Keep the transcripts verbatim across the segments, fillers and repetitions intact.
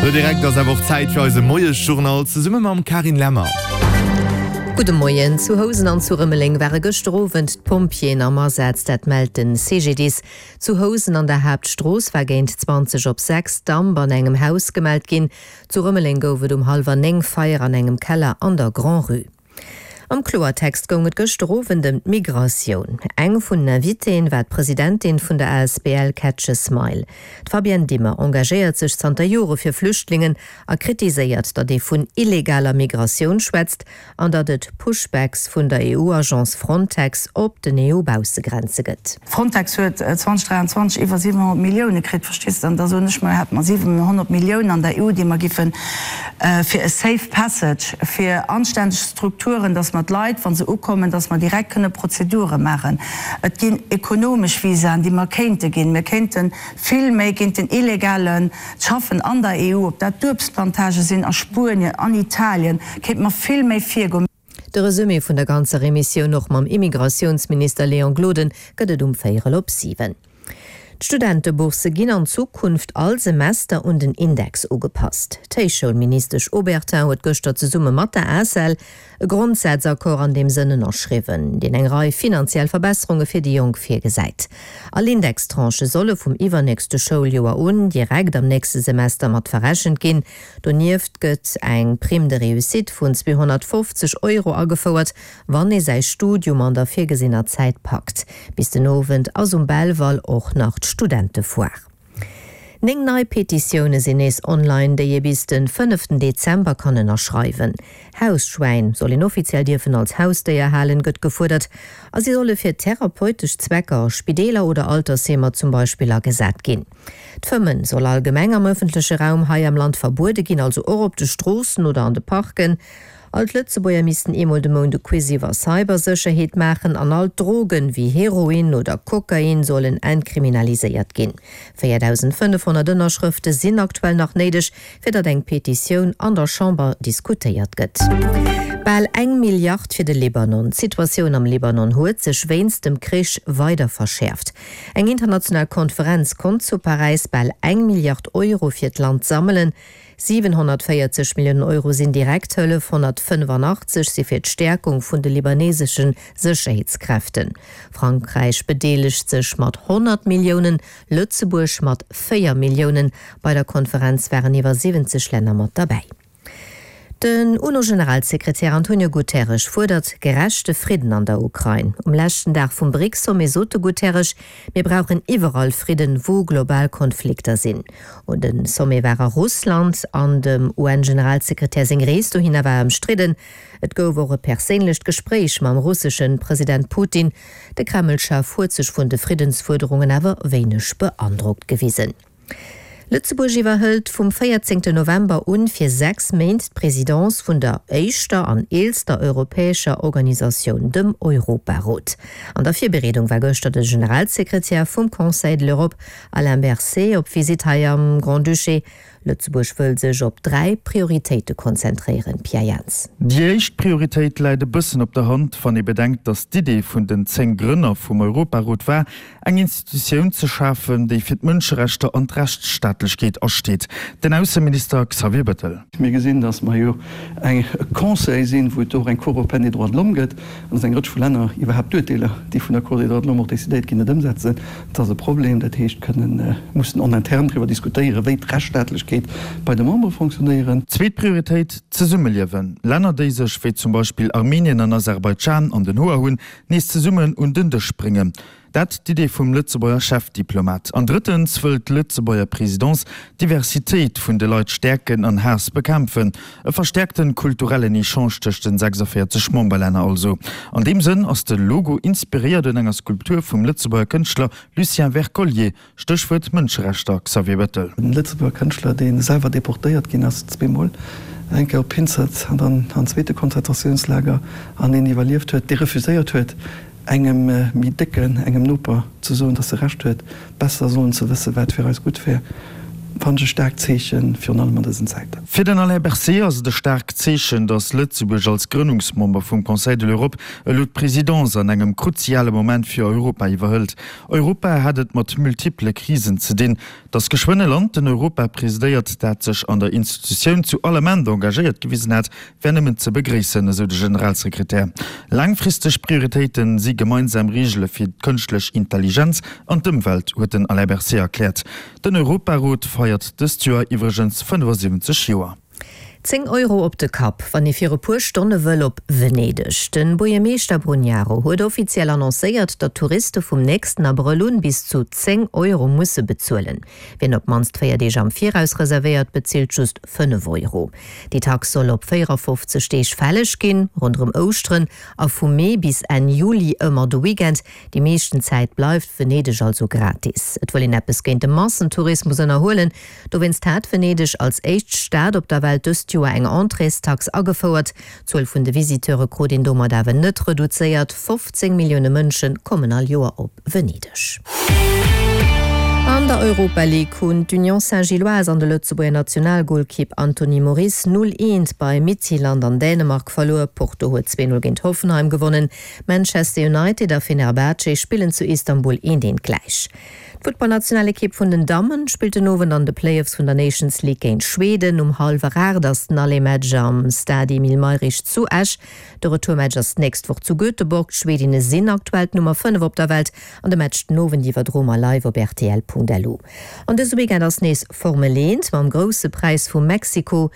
Lo direkt ass awer och Zäit fir eise Moiesjournal zesumme mam Carine Lemmer. Gudde Moien. Zu Housen an zu Rëmeleng ware gëschter Owend d'Pompjeeën am Asaz, dat mellt de C G D I S. Zu Housen an der Haaptstrooss war géint zwanzeg op sechs Damp an engem Haus gemellt ginn. Zu Rëmeleng gouf et um hallwer néng Feier an engem Keller an der Grand-Rue. Am Kloertext goung et gëschter Owend ëm d'Migratioun. Eng vun den Invitéen war d'Presidentin vun der A S B L Catch a Smile. D'Fabienne Dimmer engagéiert sech zanter Jore fir Flüchtlingen a kritiséiert, datt ee vun illegaler Migratioun schwätzt an datt et Pushbacks vun der E U-Agence Frontex op den E U-Baussegrenze gëtt. Frontex huet zweedausenddräianzwanzeg iwwer siwenhonnert Millioune kritt, verstees de? An da soen ech mer, hätte mer siwenhonnert Milliounen an der E U, déi mer giffen fir e safe passage, fir anständeg Strukturen, dass mer d'Leit, wa se ukommen, dass mer direkt kënne Prozedure maachen. Et ginn ekonomesch Visaen, déi mer kéinte ginn. Mir kéinte vill méi géint den illegale Schaffen an der E U, ob dat d'Uebstplantage sinn a Spuenien, an Italien, kéinte mer vill méi virgoen. De Resumé vun der ganzer Emissioun och mam Immigratiounsminister Léon Gloden gëtt et um véierel op siwen. D'Studentebourse ginn an Zukunft all Semester un den Index ugepasst. D'Héichschoulministesch Obertin huet gëschter zesumme mat der A C E L e Grondsazakord an deem Sënn ënnerschriwwen, deen eng Rei finanziell Verbesserunge fir déi Jonk virgesäit. All Indextranchë solle vum iwwernächste Schouljoer un direkt am nächste Semester mat verrechent ginn. Donieft gëtt eng Prime de réussite vun zweehonnertfofzeg Euro agefouert, wann ee säi Studium an der virgesinner Zäit packt. Bis den Owend ass um Belval och nach d'Studentefoire. Néng nei Petitioune sinn nees online, déi ee bis de fënneften Dezember kann ënnerschreiwen. Hausschwäin soll een offiziell dierfen als Hausdéier halen, gëtt gefuerdert, a si solle fir therapeutesch Zwecker a Spideeler oder Altersheemer zum Beispill agesat ginn. D'Fëmmen soll allgemeng am ëffentleche Raum hei am Land verbuede ginn, also och op de Stroossen oder an de Parken. All d'Lëtzebuerger missten eemol de Mount e Quiz iwwer Cybersécherheet maachen an all Drogen wéi Heroin oder Kokain sollen entkriminaliséiert ginn. véierdausendfënnefhonnert Ënnerschrëfte sinn aktuell nach néideg, fir datt eng Petitioun an der Chamber diskutéiert gëtt. Bal eng Milliard fir de Libanon. D'Situatioun am Libanon huet sech wéinst dem Krich weider verschäerft. Eng international Konferenz konnt zu Paräis bal eng Milliard Euro fir d'Land sammelen. siwenhonnertvéierzeg Milliounen Euro sinn Direkthëllef, honnertfënnefanachtzeeg si fir d'Stäerkung vun de libanesesche Sécherheetskräften. Frankräich bedeelegt sech mat honnert Milliounen, Lëtzebuerg mat véier Milliounen. Bei der Konferenz waren iwwer siwwenzeg Länner mat derbäi. Den U N O-Generalsekretär Antonio Guterres fuerdert gerechte Fridden an der Ukrain. Um leschten Dag vum BRICS-Sommet sot de Guterres, mir brauchen iwwerall Fridden, wou global Konflikter sinn. Und den Sommet war a Russland an dem U N-Generalsekretär seng Rees dohinner war ëmstridden. Et gouf och e perséinlecht Gespréich mam russesche President Putin. De Kremlchef huet sech vun de Friddensfuerderungen awer wéineg beandrockt gewisen. Lëtzebuerg iwwerhëlt vum véierzéngten November un fir sechs Méint d'Presidence vun der éischter an eelster europäescher Organisatioun, dem Europarot. An der Virbereedung war gëschter de Generalsekretär vum Conseil de l'Europe Alain Berset op Visitt hei am Grand-Duché. Lëtzebuerg wëll sech op dräi Prioritéite konzentréieren, Pierre Jans. Déi éischt Prioritéit läit e bëssen op der Hand, wann ee bedenkt, datt d'Idee vun den zéng Grënner vum Europarot war, eng Institutioun ze schafen, déi fir d'Mënscherechter an d'Rechtsstaatlechkeet asteet. Den Ausseminister Xavier Bettel. Mir gesinn, datt mer jo e Conseil sinn, wou et och eng Cour européenne des droits de l'homme gëtt, an datt eng Rëtsch vu Länner iwwerhaapt d'Urteeler, déi vun der Cour des droits de l'homme och decidéiert ginn, net ëmsetzen. Dat ass e Problem. Dat heescht, kënnen mussen en interne driwwer diskutéieren, wéi d'Rechtsstaatlechkeet bei de Membere fonctionnéieren. Zweet Prioritéit, d'Zesummeliewen. Länner, déi sech, wéi zum Beispill Armenien an Aserbaidschan, an den Hoer hunn, nees zesummen un den Dësch bréngen. Dat d'Idee vum Lëtzebuerger Chefdiplomat. An drëttens wëll d'Lëtzebuerger Presidence d'Diversitéit vun de Leit stäerken an Haass bekämpfen. E verstäerkte kulturellen Echange tëscht den sechsundvéierzeg Memberlänner also. An deem Sënn ass de Logo inspiréiert un enger Skulptur vum Lëtzebuerger Kënschtler Lucien Wercollier. Stéchwuert Mënscherechter, Xavier Bettel. En Lëtzebuerger Kënschtler, dee selwer deportéiert ginn ass, zweemol, eng Kéier op Hinzert an dann an zweete Konzentratiounslager, an deen iwwerlieft huet, dee refuséiert huet, engem méi décken, engem Noper ze soen, datt e Recht huet, besser sollen ze wëssen, wat fir eis gutt wär. fannen ech e staarkt Zeechen, virun allem an dësen Zäiten. Fir den Alain Berset ass et e staarkt Zeechen, datt Lëtzebuerg als Grënnungsmember vum Conseil de l'Europe elo d'Presidence an engem kruziale Moment fir Europa iwwerhëlt. Europa hätt et mat multipele Krisen ze dinn. Datt geschwënn e Land den Europa presidéiert, dat sech an der Institutioun zu all Ament engagéiert gewisen hätt, wär nëmmen ze begréissen, esou de Generalsekretär. Laangfristeg Prioritéite si gemeinsam Reegele fir d'kënschtlech Intelligenz an d'Ëmwelt, huet den Alain Berset erkläert. Den Europarot feiert dëst Joer iwwregens fënnefasiwwenzeg Joer. Zéng Euro op de Kapp, wann ee fir e puer Stonne wëll op Venedeg. Den Buergermeeschter Brugnaro huet offiziell annoncéiert, datt Touriste vum nächsten Abrëll un bis zu zéng Euro musse bezuelen. Wien op d'mannst véier Deeg am Viraus reservéiert, bezilt just fënnef Euro. Déi Tax soll op véierafofzeg Deeg fälleg ginn, ronderëm Ouschteren a vu Mee bis Enn Juli ëmmer de Weekend. Déi meeschten Zäit bleift Venedeg also gratis. Et wëll een eppes géint de Massentourismus ënnerhuelen. Dowéinst hat Venedeg als éischt Stad op der Welt dëst Joer eng Entréestax agefouert. D'Zuel vun de Visiteure krut een domat awer net reduzéiert, fofzéng Millioune Mënsche kommen all Joer op Venedeg. An der Europa League hunn d'Union Saint-Gilloise an de Lëtzebuerger Nationalgolkipp Anthony Moris null eent bei Midtjylland an Dänemark verluer. Porto huet zwee null géint Hoffenheim gewonnen. Manchester United a Fenerbahce spillen zu Istanbul eent eent gläich. D'Futtballnationalekipp vun den Dammen spillt den Owend an de Playoffs vun der Nations League géint Schweden. Um hallwer aacht ass den Aller-Match am Stade Emile Mayrisch zu Esch. De Retourmatch ass d'nächst Woch zu Göteborg. D'Schwedinne sinn aktuell d'Nummer fënnef op der Welt an de Match den Owend iwwerdroe mer live op rtl.lu. An dëse Weekend ass nees Formel eent mam Grousse Präis vu Mexiko.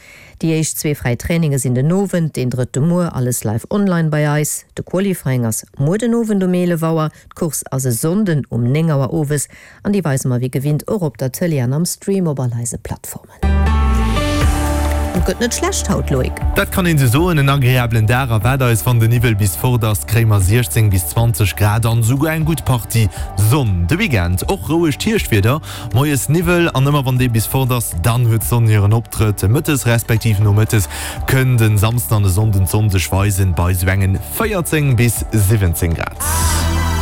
Déi éischt zwee fräi Traininge sinn den Owend, deen drëtte muer. Alles live online bei eis. De Qualifying ass muer den Owend um eelef Auer, d'Course ass e Sonnden um néng Auer owes an déi weise mer wéi gewinnt och op der Tëlee an am Stream op all eise Plattformen. Et gëtt net schlecht haut, Loïc. Dat kann een sou soen, en agreablen Dag erwaart eis. Wann de Niwwel bis fort ass, kréie mer siechzéng bis zwanzeg Grad an esouguer eng gutt Partie Sonn. De Weekend och rouegt Hierschtwieder, moies Niwwel an ëmmer wann dee bis fort ass, dann huet d'Sonn hiren Optrëtt. Mëttes respektiv nomëttes kënn den Samsden an de Sonnden d'Sonn sech weisen bei sou engen véierzéng bis siwwenzéng Grad.